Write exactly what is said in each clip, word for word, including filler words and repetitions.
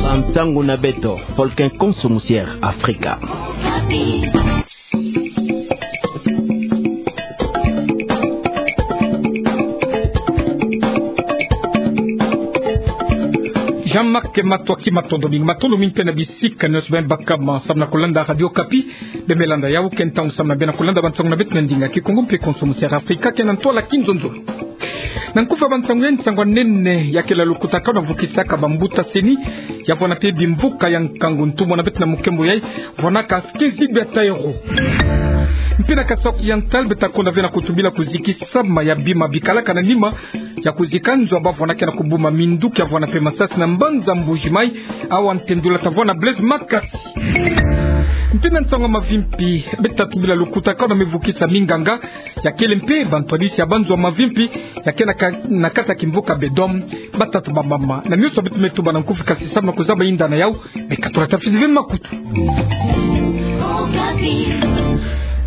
Bansangu na beto, Volcan Konso Musier Afrika. Jean-Marc Matoaki, matondo mingi, matondo mingi mpe na bisika nyonso beno baka ma samu na kolanda Radio Okapi. Beno me landa yau ke ntangu samu na beno kolanda bansangu na beto na ndinga Kikongo mpe Konso Musier Afrika, ke na ntwala Kinzonzolo. Na nkufi ya bansangu ya nsangu ya nene ya kele lukutakanu ya vukisaka bambuta seni, ya vwanda mpe bimvuka ya nkangu ntumwa na beto na mukembo yai, vwanaka quinze bia taero. Mpe na Kasaï Oriental, beto ta konda ve na kutubila kuzikisama ya bima bikalaka na nima ya kuzika nzo ya bavwandaka na kubuma minduki ya vwanda mpe masasi na mbanza Mbuji-Mayi, awa ntendula ta vwanda Blaise Makasi. Mpe na nsangu ya mavimpi, beto ta tubila lukutakanu ya mivukisa minganga, ya kele mpe bantwadisi ya banzo ya mavimpi, ya ke na ka-, na kati ya kimvuka Bedomo, batata, bamama, na mioso beto me tuba na nkufi, kasi samu na kuzaba inda na yau, me katula ta fidi ve makutu.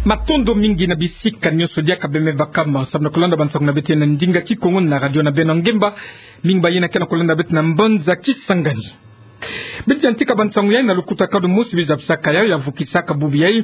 Matondo mingi na bisika nyonso diaka beno me baka ma samu na kolanda bansangu na beto na ndinga Kikongo na radio na beno ngemba, mingi bayina ke na kolanda beto na mbanza Kisangani. Beto yantika bansangu yai na lukutakanu mosi bizabisaka yau ya vukisaka bubu yai,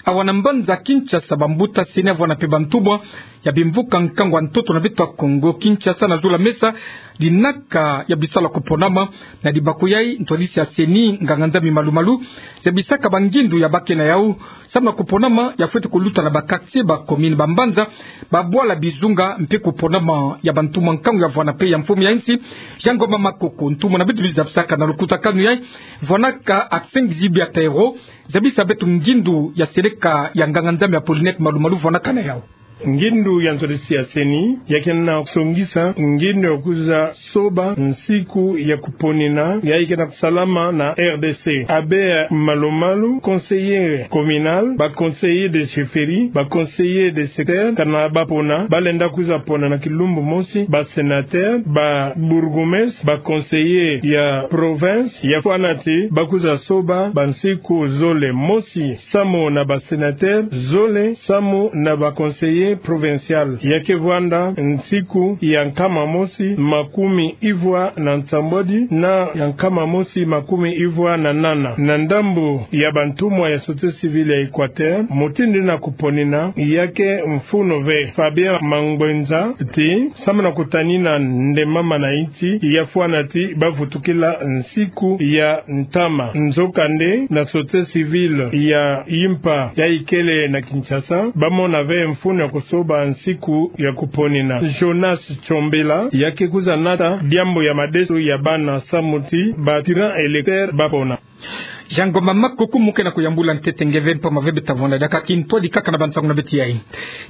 awa na mbanza Kinshasa, bambuta seni ya vwanda mpe bantumwa ya bimvuka nkangu ya ntoto na beto ya Kongo Kinshasa na zula mesa dinaka ya bisalu ya kuponama. Na libaku yai, ntwadisi ya seni, nganga-Nzambi malu-malu, zabisaka bangindu ya bake na yau samu na kuponama ya fweti kuluta na ba quartier, ba commune, bambanza, babwala, bizunga, mpe kuponama ya bantumwa nkangu ya vwanda mpe ya mfumu ya insi, Jean Ngoma Makoko, ntumwa na beto bizabisaka na lukutakanu yai, vwanaka quinze bia taero, zabisa beto ngindu ya seleka ya nganga-Nzambi Apollinaire Malu-Malu vwanaka na yau. Ngindu ya ntwadisi ya seni, ya ke na kusongisa ngindu ya kwiza soba nsiku ya kuponina, yai ke na kusalama na R D C. Abbé Malu-Malu, conseiller communal, ba conseiller de chefferie, ba conseiller de secteur, kana bapona, balenda kwiza pona na kilumbu mosi, ba sénateur, ba bourgmestre, ba conseiller ya province, ya fwana ti bakwiza soba bansiku zole, mosi samu na ba sénateur, zole samu na ba conseiller provincial. Ya ke vwanda nsiku ya nkama mosi makumi ivwa na nsambwadi na ya nkama mosi makumi ivwa na nana. Na ndambu ya bantumwa ya société civile ya Équateur, mutindu na kuponina ya ke mfunu ve. Fabien Mangwenza ti, samu na kutanina nde mama na insi, ya fwana ti bavutukila nsiku ya ntama. Nzokande, na société civile ya yimpa yai kele na Kinshasa, bamona ve mfunu ya kusoba nsiku ya kuponina. Jonas Chombela, ya ke kwiza nata diambu ya madesu ya bana samu ti ba tirant électeur bapona. Jean Ngoma Makoko, mu ke na kuyambula ntete nge ve, mpamba ve beto ta vwanda diaka kintwadi kaka na bansangu na beto yai.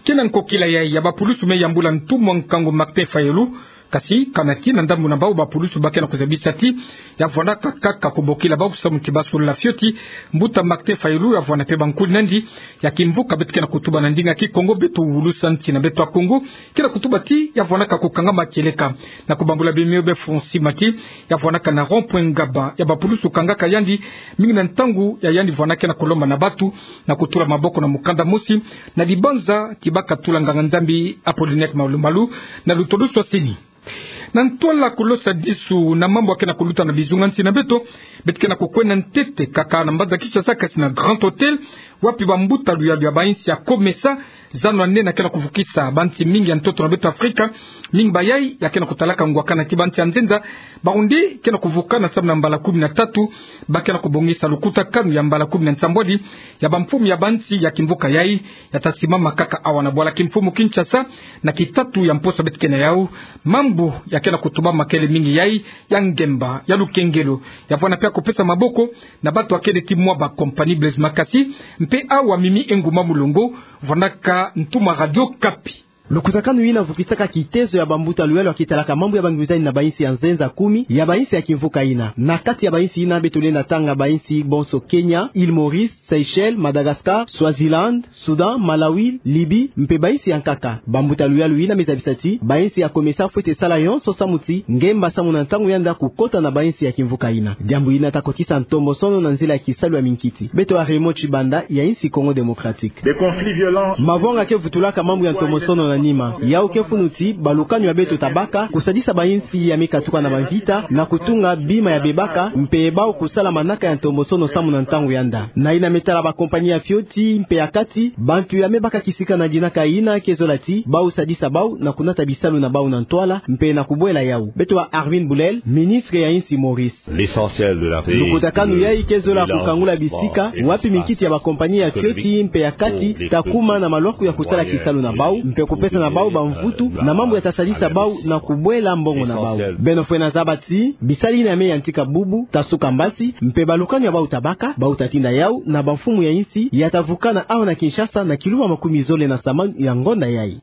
Ke na nkokila yai ya bapulusu me yambula ntumwa nkangu Martin Fayulu, kasi kana ti na ndambu na bau bapulusu ba ke na kuzabisa ti ya vwandaka kaka kubokila bau samu ti basolula fioti mbuta Martin Fayulu, ya vwanda mpe bankuli nandi ya kimvuka beto ke na kutuba na ndinga Kikongo, beto wulusa nsi na beto ya Kongo, ke na kutuba ti ya vwandaka kukangama kieleka. Na kubambula bima yo be fonds Sima ti ya vwandaka na rond-point Ngaba, ya bapulusu kangaka yandi mingi na ntangu ya yandi vwandaka na kulomba na batu na kutula maboko na mukanda mosi na libanza ti baka tula nganga-Nzambi Apollinaire Malu-Malu na lutolo swa seni. Na ntwala kulosa disu na mambu ya ke na kuluta na bizunga nsi na beto, beto ke na kukwenda ntete kaka na mbanza Kinshasa, kasi na Grand Hôtel, wapi bambuta luyalu ya bainsi ya COMESA, zano ya nene ya ke na kuvukisa bansi mingi ya ntoto na beto Afrika, mingi bayai ya ke na kutalaka ngwakana ti bansi ya nzenza, bawu nde ke na kuvukana samu na mbala kumi na tatu, ba ke na kubongisa lukutakanu ya mbala kumi na nsambwadi ya bamfumu ya bansi ya kimvuka yai, ya ta simama kaka awa na bwala kimfumu Kinshasa, na kitatu ya mposa beto ke na yau. Mambu ya ke na kutubama kele mingi yai ya ngemba, ya lukengelo, ya vwanda mpe ya kupesa maboko na batu ya kele ti mwa ba compagnie. Blaise Makasi, mpe awa Mimi Enguma Mulongo, vwandaka ntumwa Radio Okapi. Lukutakanu yina vukisaka kitezo ya bambuta luyalu ya kitalaka mambu ya bangwizani na bainsi ya nzenza kumi ya bainsi ya kimvuka yina. Na kati ya bainsi yina beto lenda tanga bainsi bonso Kenya, Île Maurice, Seychelles, Madagascar, Swaziland, Soudan, Malawi, Libye, mpe bainsi ya nkaka. Bambuta luyalu yina me zabisa ti bainsi ya COMESA fwete sala yonso samu ti ngemba samu na ntangu ya nda kukota na bainsi ya kimvuka yina. Diambu yina ta kotisa ntombosono na nzila ya kisalu ya minkiti. Beto ya Raymond Tshibanda ya insi Congo Démocratique. Mavwanga ke vutulaka mambu ya ntombosono na nima. Yau ke funu ti, balukani ya beto tabaka, kusadisa bayinsi ya me katuka na bamvita, na kutunga bima ya bebaka, mpe bau kusala manaka ya ntombosono samu na ntangu yanda. Na yina me tala bakompani ya fioti, mpe ya kati, bantu ya me baka kisika na dinaka yina ke zola ti, bau sadisa bau, na kunata bisalu na bau na ntwala, mpe na kubwela yau. Beto wa Armin Boulel, ministre ya insi Maurice. Lukutakanu yai ke zola kukangula bisika, wapi minkiti ya bakompani ya fioti mpe ya kati, ta kuma na malwaku ya kusala kisalu na bau, mpe kupesa na bau bamvutu, na mambu ya ta sadisa bau, na kubwela mbongo na bau. Beno fwena zaba ti, bisali yina ya me yantika bubu, ta suka mbasi, mpe balukani ya bau tabaka, bau ta tinda yau, na bamfumu ya insi, ya ta vukana awa na Kinshasa, na kiluma makumi zole na samanu ya ngonda yai.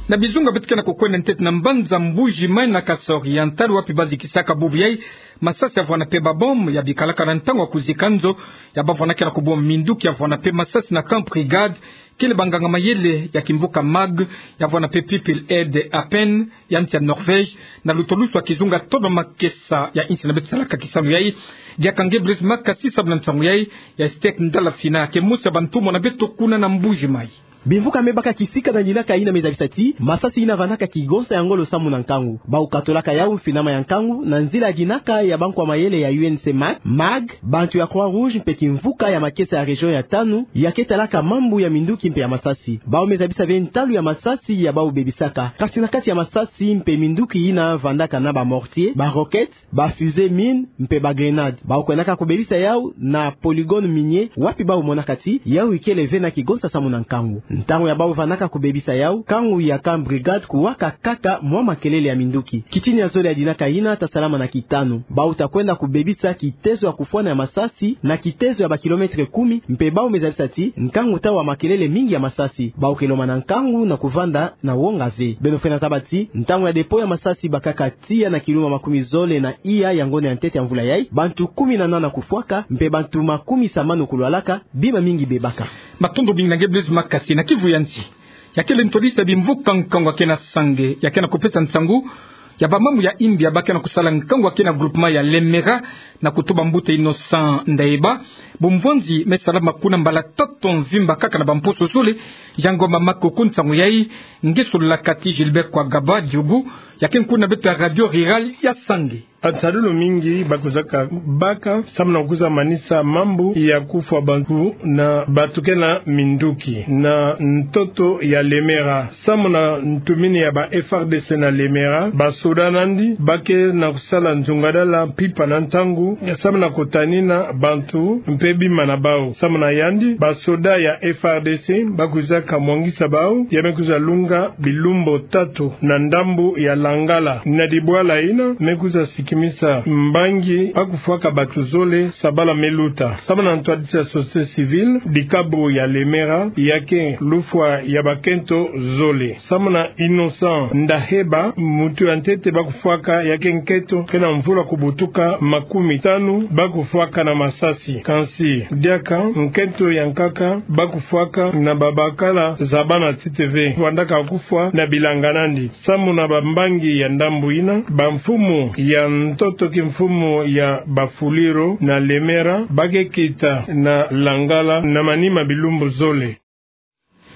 Na bizunga beto ke na kukwenda ntete na mbanza Mbuji-Mayi na Kasaï Oriental wapi ba zikisaka bubu yai masasi ya vwanda mpe ba bombe ya bikalaka na ntangu ya kuzika nzo ya ba vwanda ke na kubomba minduki ya vwanda mpe masasi na camp Brigade, kele banganga mayele ya kimvuka MAG, ya vwanda mpe People Aid Appen, ya nsi ya Norvège, na lutolusu ya kizunga tolo makesa ya insi na beto salaka kisalu yai. Diaka nge Blaise Makasi sabu na nsangu yai, ya Steak Ndala Fina, ke mosi ya bantumwa na beto kuna na Mbuji-Mayi. Bimvuka me baka kisika na dinaka yina me zabisa ti, masasi yina vandaka kigonsa ya ngolo samu na nkangu. Bau katolaka yau mfinama ya nkangu, na nzila ya dinaka ya bankwa mayele ya U N C MAG, MAG, bantu ya Croix-Rouge mpe kimvuka ya makesa ya région ya tanu, ya ke talaka mambu ya minduki mpe ya masasi. Bau me zabisa ve ntalu ya masasi ya bau bebisaka. Kasi na kati ya masasi mpe minduki yina vandaka na ba mortier, ba roquette, ba fusée mine, mpe ba grenade. Bau kwendaka kubebisa yau na polygone minier, wapi bau monaka ti, yau ikele ve na kigonsa samu na nkangu. Ntangu ya bau vandaka kubebisa yau, nkangu ya camp Brigade kuwaka kaka mwa makelele ya minduki. Kitini ya zole ya dinaka yina ta salama na kitanu. Bau ta kwenda kubebisa kitezo ya kufwana ya masasi, na kitezo ya ba kilomètre kumi, mpe bau me zabisa ti, nkangu ta wa makelele mingi ya masasi. Bau ke lomba na nkangu na kuvanda na wonga ve. Beno fwena zaba ti, ntangu ya dépôt ya masasi bakaka tiya na kiluma makumi zole na iya ya ngonda ya ntete ya mvula yai, bantu kumi na nana kufwaka, mpe bantu makumi samanu kulwalaka, bima mingi bebaka. Matondo mingi na nge Blaise Makasi. Na kivu ya nsi, ya kele ntwadisi ya bimvuka nkangu ya ke na Sange, ya ke na kupesa nsangu ya bamambu ya imbi ya ba ke na kusala nkangu ya ke na groupement ya Lemera, na kutuba mbuta Innocent Ndaeba. Bumvwanzi me salama kuna mbala tatu mvimba kaka na bamposo zole, ya ngomba makuku nsangu yai. Nge sololaka ti Gilbert Kwagaba Diogo, ya ke nkuna beto ya Radio Rurale ya Sange. Basadulu mingi ba kwizaka baka, samu na kwiza manisa mambu ya kufwa bantu na batukena minduki na ntoto ya Lemera. Samu na ntumini ya ba F R D C na Lemera, basoda nandi ba ke na kusala nzungadala mpimpa na ntangu, samu na kutanina bantu mpe bima na bau. Samu na yandi, basoda ya F R D C ba kwizaka mwangisa bau, ya me kwiza lunga bilumbu tatu na ndambu ya Langala. Na dibwala yina, me kwiza sikimisa mbangi ba kufwaka bantu zole, sabala me luta. Samu na ntwadisi ya société civile, dikabu ya Lemera, ya ke lufwa ya bakento zole. Samu na Innocent Ndaheba, muntu ya ntete ba kufwaka, ya ke nkento ke na mvula kubutuka makumi tanu, ba kufwaka na masasi. Kansi, diaka nkento ya nkaka ba kufwaka na babakala zabana tite ve. Vandaka kufwa na bilanga nandi. Samu na bambangi ya ndambu yina, bamfumu ya ntoto kimfumu ya Bafuliro na Lemera, ba ke kita na Langala na manima bilumbu zole.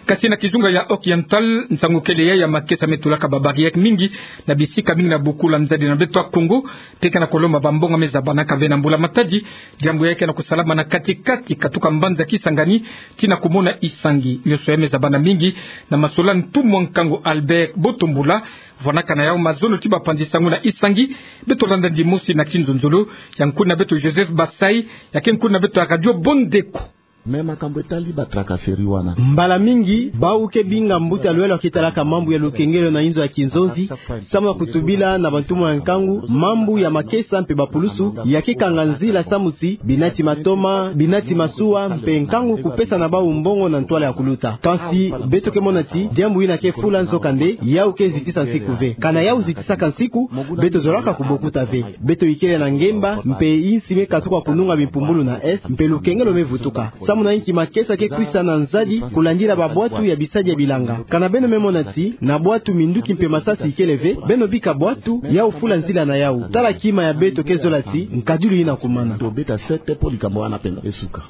Kasi na kizunga ya Oriental, nsangu kele yai ya makesa me tulaka ba barrière mingi na bisika mingi na bokula nzadi na beto ya Kongo, mpe ke na kulomba bambongo me zabanaka ve na mbula-matadi. Diambu yai ke na kusalama na kati-kati, katuka mbanza Kisangani tii na kumona Isangi. Nionso yai me zabana mingi na masola ntumwa nkangu Albert Botombula, vwanaka na yau mazono ti bapanzi sangu na Isangi. Beto landa ndimosi na kinzonzolo ya nkuna beto Joseph Basai, ya ke nkuna beto ya Radio Bondeko. Me makambu etali ba tracasserie wana. Mbala mingi, bau ke binga mbuta Luelo ke talaka mambu ya lukengelo na inzo ya kinzonzi, samu na kutubila na bantumwa ya nkangu, mambu ya makesa mpe bapulusu, ya ke kanga nzila samu ti, binati matoma, binati masuwa, mpe nkangu kupesa na bau mbongo na ntwala ya kuluta. Kansi, beto ke mona ti, diambu yina ke fula nzokande, yau ke zitisa nsiku ve. Kana yau zitisaka nsiku, beto zolaka kubokuta ve. Beto ikele na ngemba, mpe insi me katuka kununga bimpumbulu na Est, mpe lukengelo me vutuka. Samu na inki makesa ke kwisa na nzadi, kulandila babwatu ya bisadi ya bilanga. Kana beno me mona ti, na bwatu minduki mpe masasi ikele ve, beno bika bwatu, yau fula nzila na yau. Tala kima ya beto ke zola ti, nkadilu yina kumana. To beta sete po likambo wana pena esuka.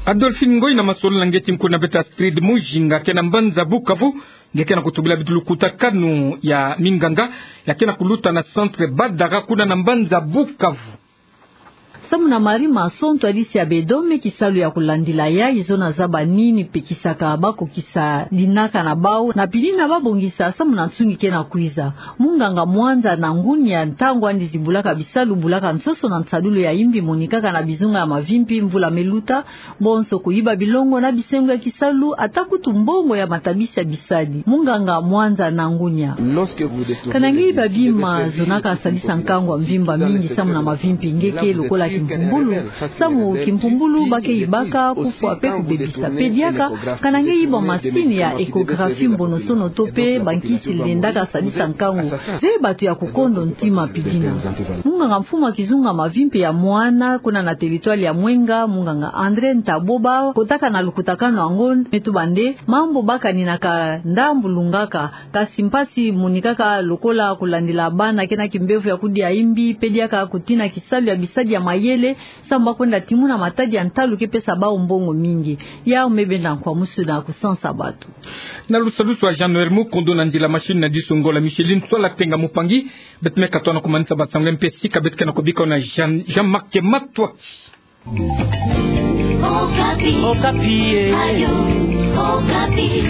Adolphine Ngoy na masololo na nge. Ti mkuna bete Astrid Mujinga kena mbanza Bukavu, nge kena kutubila bidilu lukutakanu ya minganga ya kena kuluta na centre Badara kuna na mbanza Bukavu. Samu na Marie Masson, ntwadisi ya bedome, kisalu ya kulandila yayi zona zaba nini pekisaka bako kisa dinaka na bau, na pili na babongisa samu na nsungi kena kwiza. Munganga Mwanza Nangunia, ntangu andi zibulaka bisalu, bulaka nsoso na nsadulu ya imbi monikaka na bizunga ya mavimpi mvula meluta, bonso kuyiba bilongo na bisengo ya kisalu, ata kutu mbongo ya matabisi ya bisadi. Munganga Mwanza Nangunia. Kana nge yiba bima zonaka sadisa nkangu ya mvimba mingi samu na mavimpi, nge ke lokola kimpumbulu. Samu kimpumbulu ba ke yibaka kufwa pe kubebisa. Pe diaka, kana nge yiba masini ya échographie mbonosono to pe bankisi lendaka sadisa nkangu, zeye bato ya kukondo ntima pidina. Munganga mfumu ya kizunga mavimpi ya mwana kuna na territoire ya Mwenga, munganga André Ntaboba, kotaka na lukutakanu yango, me tuba nde mambu ba kaninaka ndambu lungaka, kasi mpasi monikaka lokola kulandila bana kena kimbevo ya kudia imbi, pe diaka kutina kisalu ya bisadi ya mayele, samu ba kwenda timuna matadi ya ntalu ke pesa bau mbongo mingi. Yau me benda nkwa musu na kusansa bato. Na lusadusu ya Jean-Noël Mukondo, na ndila machine na disu ngola Micheline Sola Tenga Mupangi, beto me katoa na kumanisa basango ya mpasi ka beto kena kubika na Jean, Jean-Marc Matwaki. Okapi. Okapi, eh. Radio Okapi.